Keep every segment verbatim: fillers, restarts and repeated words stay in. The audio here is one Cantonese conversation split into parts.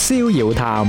逍遙談。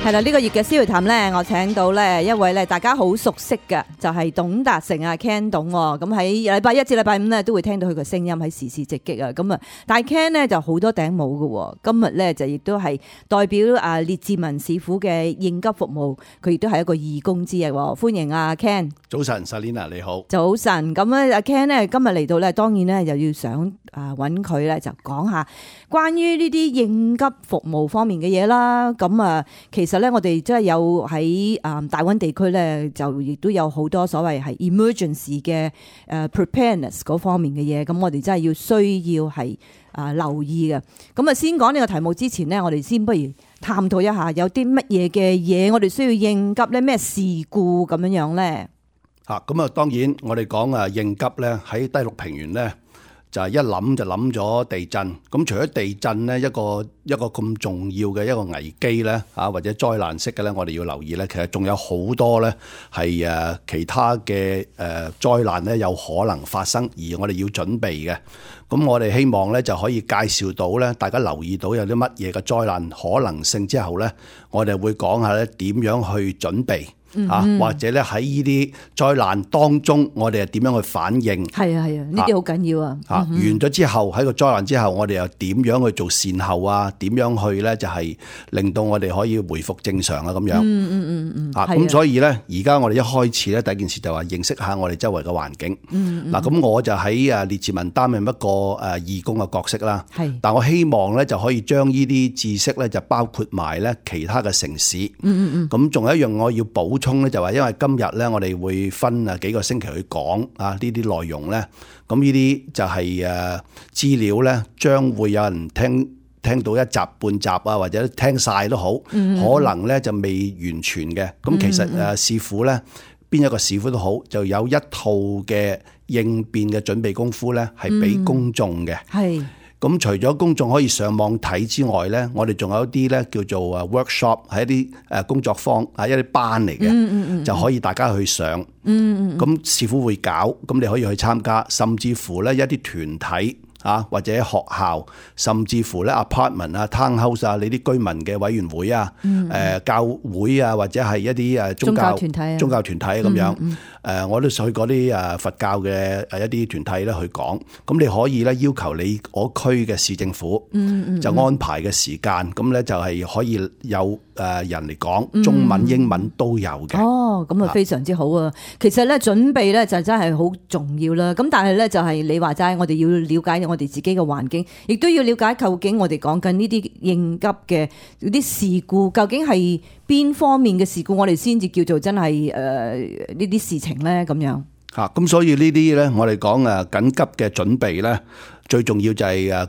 係啦，呢個月嘅逍遙談咧，我請到咧一位咧大家好熟悉嘅，就係董達成啊 Ken 董。咁喺禮拜一至禮拜五咧都會聽到佢嘅聲音喺時事直擊啊。咁啊，但係 Ken 咧就好多頂帽嘅。今日咧就亦都係代表啊列治文市府嘅應急服務，佢亦都係一個義工之一。歡迎啊 Ken。早晨 Selina 你好。早晨。咁咧阿 Ken 咧今日嚟到咧，當然咧又要想啊揾佢咧就講下關於呢啲應急服務方面嘅嘢啦。咁啊，其實其實咧，我哋真係有喺誒大灣地區咧，就亦都有好多所謂係 emergency 嘅誒 preparedness 嗰方面嘅嘢。咁我哋真係要需要係誒留意嘅。咁啊，先講呢個題目之前呢，我哋先不如探討一下有啲乜嘢嘅嘢，我哋需要應急咧，咩事故咁樣樣咧？啊，咁啊，當然我哋講啊應急咧，喺低陸平原咧。就係一諗就諗咗地震，咁除咗地震咧，一個一個咁重要嘅一個危機咧，啊或者災難式嘅咧，我哋要留意咧，其實仲有好多咧係誒其他嘅誒災難咧有可能發生，而我哋要準備嘅。咁我哋希望咧就可以介紹到咧，大家留意到有啲乜嘢嘅災難可能性之後咧，我哋會講下咧點樣去準備。啊，或者咧喺呢啲災難當中，我哋係點樣去反應？係啊係啊，呢啲好緊要啊！啊，完咗之後喺個災難之後，我哋又點樣去做善後啊？點樣去咧就係令到我哋可以回復正常啊？咁樣。嗯嗯嗯嗯。啊，咁所以咧，而家我哋一開始咧，第一件事就話認識下我哋周圍嘅環境。嗯嗱，咁我就喺誒列治文擔任一個誒義工嘅角色啦。係。但我希望咧就可以將呢啲知識咧就包括埋咧其他嘅城市。嗯嗯嗯。咁仲有一樣我要補充咧，就話因為今日咧，我哋會分啊幾個星期去講啊呢啲內容咧，咁呢啲就係誒資料咧，將會有人聽聽到一集半集啊，或者聽晒都好，嗯、可能咧就未完全嘅。咁其實誒市府咧，邊一個市府都好，就有一套嘅應變嘅準備功夫咧，係俾公眾嘅。係、嗯。咁除咗公眾可以上網睇之外咧，我哋仲有一啲咧叫做啊 workshop，係一啲誒工作坊啊一啲班嚟嘅，嗯嗯嗯就可以大家去上。嗯嗯咁市府會搞，咁你可以去參加，甚至乎咧一啲團體啊或者學校，甚至乎咧 apartment 啊 townhouse 啊，你啲居民嘅委員會啊，誒、嗯呃、教會啊或者係一啲誒宗教團體啊，宗教團體咁樣。嗯嗯誒、呃，我都去嗰啲誒佛教嘅誒一啲團體咧去講，咁你可以咧要求你嗰區嘅市政府，嗯嗯嗯就安排嘅時間，咁咧就係可以有誒人嚟講，中文、英文都有嘅。哦，咁啊非常之好啊！其實咧準備咧就真係好重要啦。咁但係咧就係你話齋，我哋要了解我哋自己嘅環境，亦都要了解究竟我哋講緊呢啲應急嘅啲事故，究竟係邊方面嘅事故，我哋先至叫做真係誒呢啲事情咧咁樣。嚇，咁所以呢啲咧，我哋講誒緊急嘅準備咧，最重要就係誒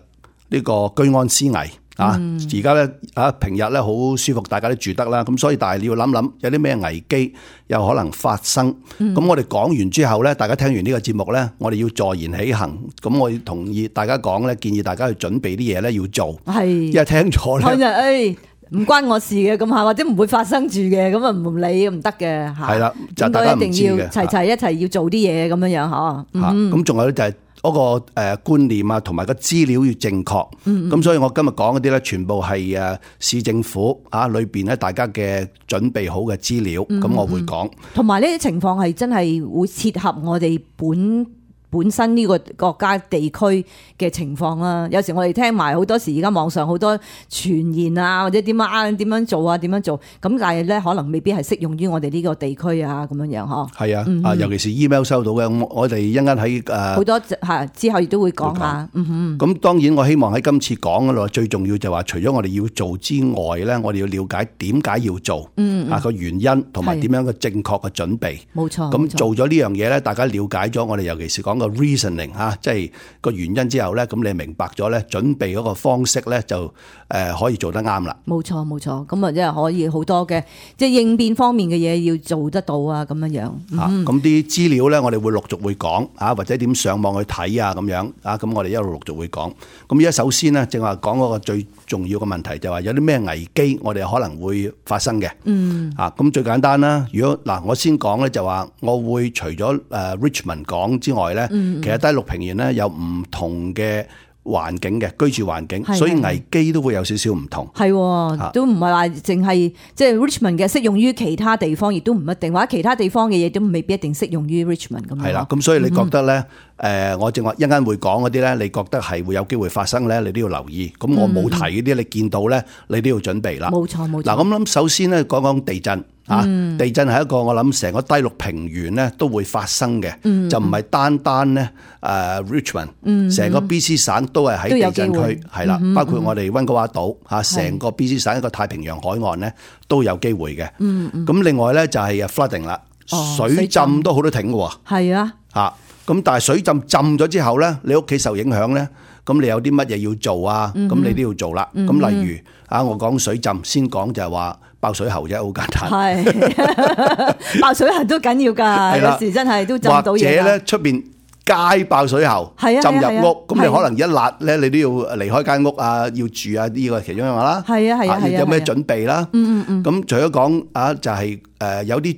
呢個居安思危啊！而家咧啊，平日咧好舒服，大家都住得啦。咁所以，但係你要諗諗，有啲咩危機有可能發生。咁、嗯、我哋講完之後咧，大家聽完呢個節目咧，我哋要坐言起行。咁我同意大家講咧，建議大家去準備啲嘢咧要做。係，因為聽咗咧。哎唔關我事嘅咁嚇，或者唔會發生住嘅，咁啊唔理唔得嘅嚇。係啦，就大家唔知嘅。應該一定要齊齊一齊要做啲嘢咁樣樣嚇。嚇，咁仲有咧就係嗰個誒觀念啊，同埋個資料要正確。嗯。咁所以我今日講嗰啲咧，全部係誒市政府啊裏邊咧大家嘅準備好嘅資料，咁我會講。同埋呢啲情況係真係會切合我哋本本身呢個國家地區嘅情況啦，有時我哋聽埋好多時，而家網上好多傳言啊，或者點啊點樣做啊點樣做，咁但係咧可能未必係適用於我哋呢個地區啊咁樣樣嗬。係啊，啊尤其是 email 收到嘅，我哋一陣間喺誒好多係之後亦都會講下。嗯哼。咁當然我希望喺今次講嗰度最重要就係話，除咗我哋要做之外咧，我哋要了解點解要做，嗯啊個原因同埋點樣嘅正確嘅準備。冇錯。咁做咗呢樣嘢咧，大家了解咗我哋尤其是講個 reasoning 嚇，即係個原因之後咧，咁你明白咗咧，準備嗰個方式咧就誒可以做得啱啦。冇錯冇錯，咁啊即係可以好多嘅即係應變方面嘅嘢要做得到啊咁樣樣。啊，咁啲資料咧，我哋會陸續會講啊，或者點上網去睇啊咁樣啊，咁我哋一路陸續會講。咁而家首先咧，正話講嗰個最重要嘅問題就係話有啲咩危機我哋可能會發生嘅。嗯。啊，咁最簡單啦，如果嗱我先講咧就話，我會除咗誒 Richmond 講之外咧。嗯、其實低陸平原咧有唔同嘅環境嘅居住環境，係所以危機都會有少少唔同。係喎，都唔係話淨係即係 Richmond 嘅適用於其他地方，亦都唔一定，或者其他地方嘅嘢都未必一定適用於 Richmond 咁樣。係啦，咁所以你覺得咧？誒，我正話一陣間會講嗰啲咧，你覺得係會有機會發生咧，你都要留意。咁我冇提嗰啲，你見到咧，你都要準備啦。冇錯冇錯。嗱，咁諗首先咧講講地震嚇，地震係一個我諗成個低陸平原咧都會發生嘅，就唔係單單咧誒 Richmond，成個 B C 省都係喺地震區，係啦，包括我哋溫哥華島嚇，成個 B C 省一個太平洋海岸咧都有機會嘅。咁另外咧就係 flooding 啦，水浸都好多挺嘅喎。係啊，嚇。咁但係水浸浸咗之後咧，你屋企受影響咧，咁你有啲乜嘢要做啊？咁你都要做啦。咁例如啊，我講水浸先講就係話爆水喉啫，好簡單。係爆水喉都緊要㗎，有時真係都浸到嘢。或者咧出邊街爆水喉，浸入屋，咁你可能一辣咧，你都要離開間屋啊，要住啊，呢個其中一樣啦。係啊係啊係啊，有咩準備啦？嗯嗯嗯。咁除咗講啊，就係誒有啲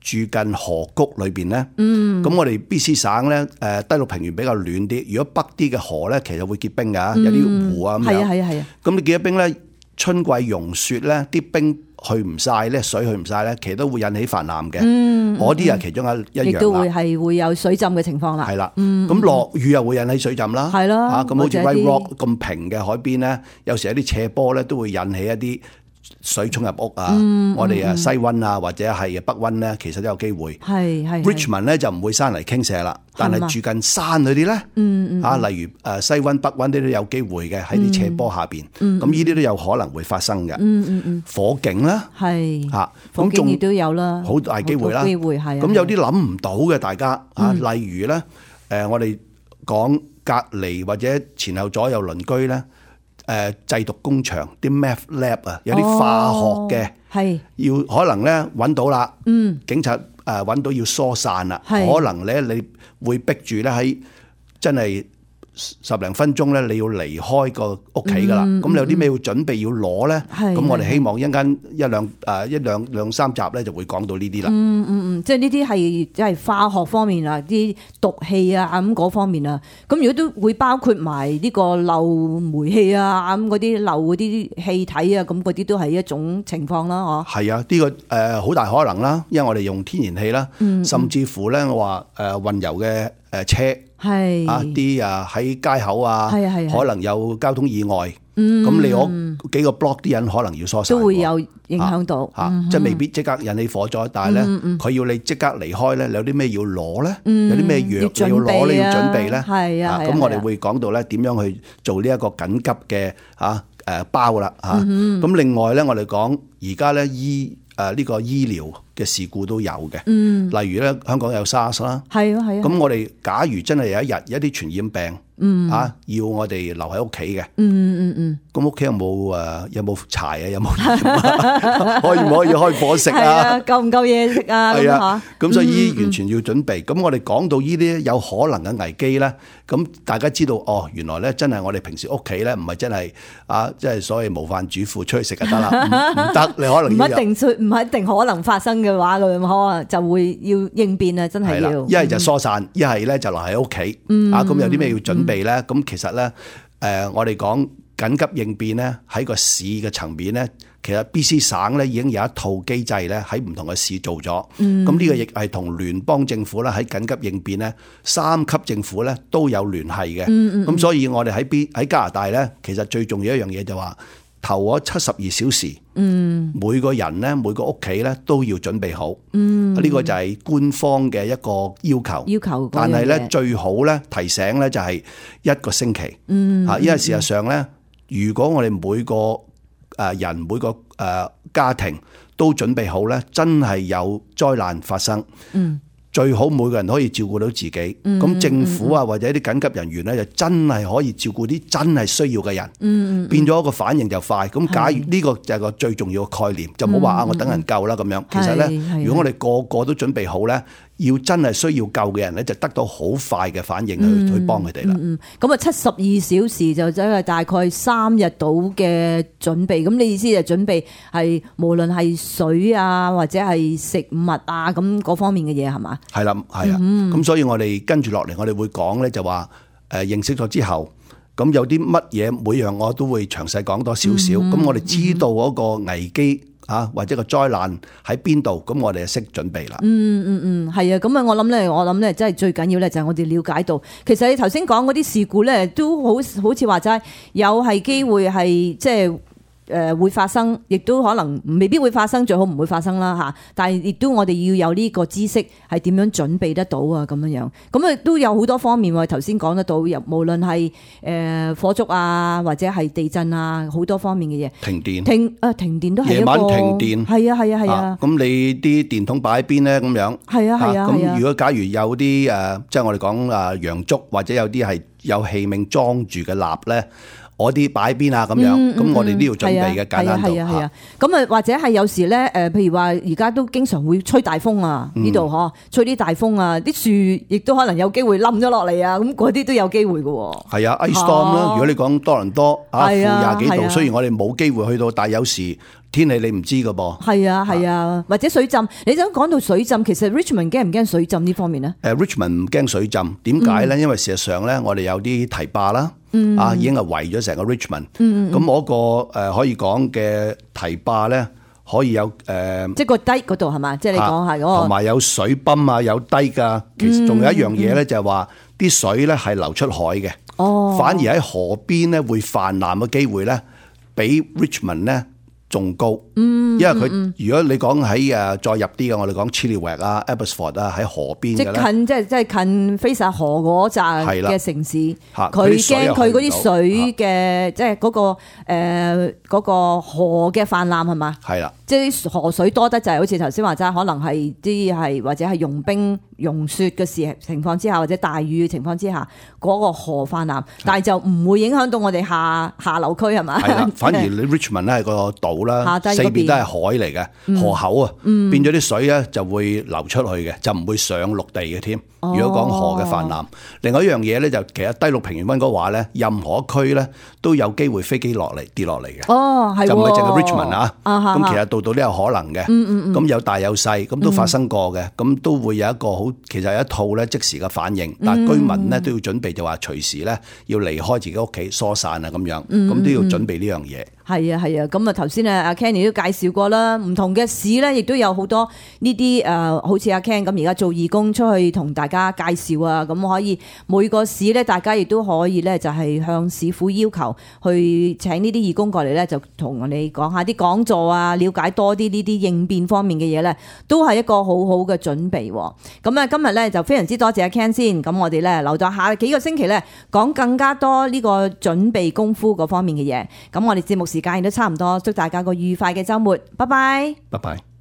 住近河谷裏邊咧，咁、嗯、我哋 B C 省咧，誒低陸平原比較暖啲。如果北啲嘅河咧，其實會結冰㗎，嗯、有啲湖啊咁樣。係啊係啊係啊。咁你結咗冰咧，春季融雪咧，啲冰去唔晒咧，水去唔晒咧，其實都會引起泛濫嘅。嗯，嗰啲係其中一一樣啦。亦都會係會有水浸嘅情況啦。係啦，咁落雨又會引起水浸啦。係咯。啊，咁好似 White Rock 咁平嘅海邊咧，有時有啲斜坡咧，都會引起一啲水沖入屋啊！嗯、我哋啊西溫啊或者係北溫咧，其實都有機會。係係。Richmond 咧就唔會山泥傾瀉啦，但係住近山嗰啲咧，嗯嗯、啊例如誒西溫北溫啲都有機會嘅喺啲斜坡下邊。咁呢啲都有可能會發生嘅。嗯嗯嗯、火警啦，係嚇，火警亦都有啦，好大機會啦。機會係。咁有啲諗唔到嘅，大家啊，嗯、例如咧誒、呃，我哋講隔離或者前後左右鄰居咧。誒製毒工場啲 meth lab 啊，有啲化學嘅，係、哦、要可能咧揾到啦，嗯，警察誒揾到要疏散啦，可能咧你會逼住咧喺真係十零分鐘咧，你要離開個屋企噶啦。咁、嗯、你有啲咩要準備要攞咧？咁、嗯、我哋希望一間一兩誒一兩兩三集咧就會講到呢啲啦。嗯嗯嗯，即係呢啲係即係化學方面啊，啲毒氣啊咁嗰方面啊。咁如果都會包括埋呢個漏煤氣啊咁嗰啲漏嗰啲氣體啊，咁嗰啲都係一種情況啦，嗬。係啊，呢、呢個誒好、呃、大可能啦，因為我哋用天然氣啦，嗯、甚至乎咧我話誒運油嘅誒車。係啊啲啊喺街口啊，可能有交通意外，咁你我幾個 block 啲人可能要疏散，都會有影響到嚇，即係未必即刻引起火災，但係咧佢要你即刻離開咧，你有啲咩要攞咧？有啲咩藥你要攞咧？要準備咧？係啊，咁我哋會講到咧點樣去做呢一個緊急嘅嚇誒包啦嚇。咁另外咧，我哋講而家咧醫誒呢個醫療嘅事故都有嘅，嗯、例如咧香港有 SARS 啦，係啊係啊。咁我哋假如真係有一日有一啲傳染病，嗯、啊要我哋留喺屋企嘅，嗯嗯嗯，咁屋企有冇誒有冇柴啊？有冇可以唔可以開火食啊？夠唔夠嘢食啊？係啊，咁所以呢啲完全要準備。咁、嗯嗯、我哋講到呢啲有可能嘅危機咧，咁大家知道哦，原來咧真係我哋平時屋企咧唔係真係啊，即係所謂無飯主婦出去食就得啦，唔得，你可能要唔一定唔係一定可能發生嘅話，咁可能就會要應變啊！真係要一係就疏散，一係咧就留喺屋企啊。咁有啲咩要準備咧？咁、嗯、其實咧，誒、呃，我哋講緊急應變咧，喺個市嘅層面咧，其實 B C 省咧已經有一套機制咧，喺唔同嘅市做咗。咁呢、嗯、個亦係同聯邦政府咧喺緊急應變咧，三級政府咧都有聯繫嘅。咁、嗯嗯、所以我哋喺 B 喺加拿大咧，其實最重要一樣嘢就話，頭嗰七十二小時，嗯、每個人咧，每個屋企咧都要準備好。呢、嗯、個就係官方嘅一個要求。要求，但係咧最好咧提醒咧就係一個星期。嗯，嚇，因為事實上咧，如果我哋每個誒人每個誒家庭都準備好咧，真係有災難發生。嗯。最好每個人都可以照顧到自己，咁、嗯、政府啊或者啲緊急人員咧就真係可以照顧啲真係需要嘅人，嗯、變咗一個反應就快。咁假如呢個就係個最重要嘅概念，就唔好話啊我等人救啦咁樣。其實咧，如果我哋個個都準備好咧，要真係需要救嘅人咧，就得到好快嘅反應去、嗯、去幫佢哋啦。咁啊七十二小時就真係大概三日到嘅準備。咁你意思就準備係無論係水啊或者係食物啊咁嗰方面嘅嘢係嘛？係啦，係啊。咁、嗯、所以我哋跟住落嚟，我哋會講咧就話誒認識咗之後，咁咁有啲乜嘢每樣我都會詳細講多少少。咁、嗯、我哋知道嗰個危機啊或者個災難喺邊度，咁我哋就識準備啦。嗯嗯嗯，係啊。咁啊，我諗咧，我諗咧，真係最緊要咧，就係我哋了解到，其實你頭先講嗰啲事故咧，都好好似話齋有係機會係即係。誒會發生，亦都可能未必會發生，最好唔會發生啦嚇。但係亦都我哋要有呢個知識係點樣準備得到啊咁樣樣。咁啊都有好多方面喎。頭先講得到，又無論係誒火燭啊，或者係地震啊，好多方面嘅嘢。停電。停啊停電都係一個。夜晚停電。係啊係啊係啊。咁你啲電筒擺喺邊咧？咁樣。係啊係啊。咁如果假如有啲誒，即係我哋講誒洋燭，或者有啲係有器皿裝住嘅蠟咧。我啲擺邊啊咁樣，咁、嗯、我哋都要準備嘅，簡單到嚇。咁啊，或者係有時咧，誒，譬如話而家都經常會吹大風啊，呢度嗬，吹啲大風啊，啲樹亦都可能有機會冧咗落嚟啊，咁嗰啲都有機會嘅喎。係啊 ，ice storm 啦。如果你講多倫多啊，負廿幾度，雖然我哋冇機會去到，但係有時天氣你唔知㗎噃。係啊係啊，或者水浸。你想講到水浸，其實 Richmond 驚唔驚水浸呢方面呢？誒 ，Richmond 唔驚水浸，點解咧？因為事實上咧，我哋有啲堤壩啦。嗯、啊，已經係圍咗成個 Richmond。嗯咁嗰、那個誒、呃、可以講嘅堤壩咧，可以有誒，呃、即係個低嗰度係嘛？即係你講下嗰個。同埋有水泵啊，有低㗎。其實仲有一樣嘢咧，就係話啲水咧係流出海嘅。哦。反而喺河邊咧會泛濫嘅機會咧，比 Richmond 咧仲高。嗯。因為佢、嗯、如果你講喺誒再入啲嘅，我哋講 Chilliwack 啊、Abbotsford 啊，喺河邊嘅咧，即近即係即係近 Fraser 河嗰扎嘅城市，佢驚佢嗰啲水嘅即係嗰個誒嗰、呃嗰個河嘅泛濫係嘛？係啦，即係啲河水多得就係好似頭先話齋，可能係啲係或者係融冰融雪嘅事情況之下，或者大雨嘅情況之下，嗰、嗰個河泛濫，但係就唔會影響到我哋下下流區係嘛？係啦，反而你 Richmond 咧係個島啦，四邊都係海嚟嘅河口啊，嗯、變咗啲水咧就會流出去嘅，就唔會上陸地嘅添。如果講河嘅泛濫，哦、另外一樣嘢咧就其實低陸平原溫哥華咧，任何區咧都有機會飛機落嚟跌落嚟嘅。哦，係，就唔係淨係 Richmond 啊。咁其實度度都有可能嘅。咁、嗯嗯、有大有細，咁都發生過嘅。咁、嗯、都會有一個好，其實有一套咧即時嘅反應。但係居民咧都要準備，就話隨時咧要離開自己屋企疏散啊咁樣。咁、嗯、都要準備呢樣嘢。係啊係啊，咁啊頭先啊阿 Kenny 都介紹過啦，唔同嘅市咧，亦都有好多呢啲誒，好似阿 Ken 咁而家做義工出去同大家介紹啊，咁可以每個市咧，大家亦都可以咧，就係向市府要求去請呢啲義工過嚟咧，就同我哋講下啲講座啊，了解多啲呢啲應變方面嘅嘢咧，都係一個好好嘅準備。咁啊，今日咧就非常之多謝阿 Ken 先，咁我哋咧留咗下幾個星期咧，講更加多呢個準備功夫嗰方面嘅嘢。咁我哋節目時間亦都差唔多，祝大家個愉快嘅週末，拜拜，拜拜。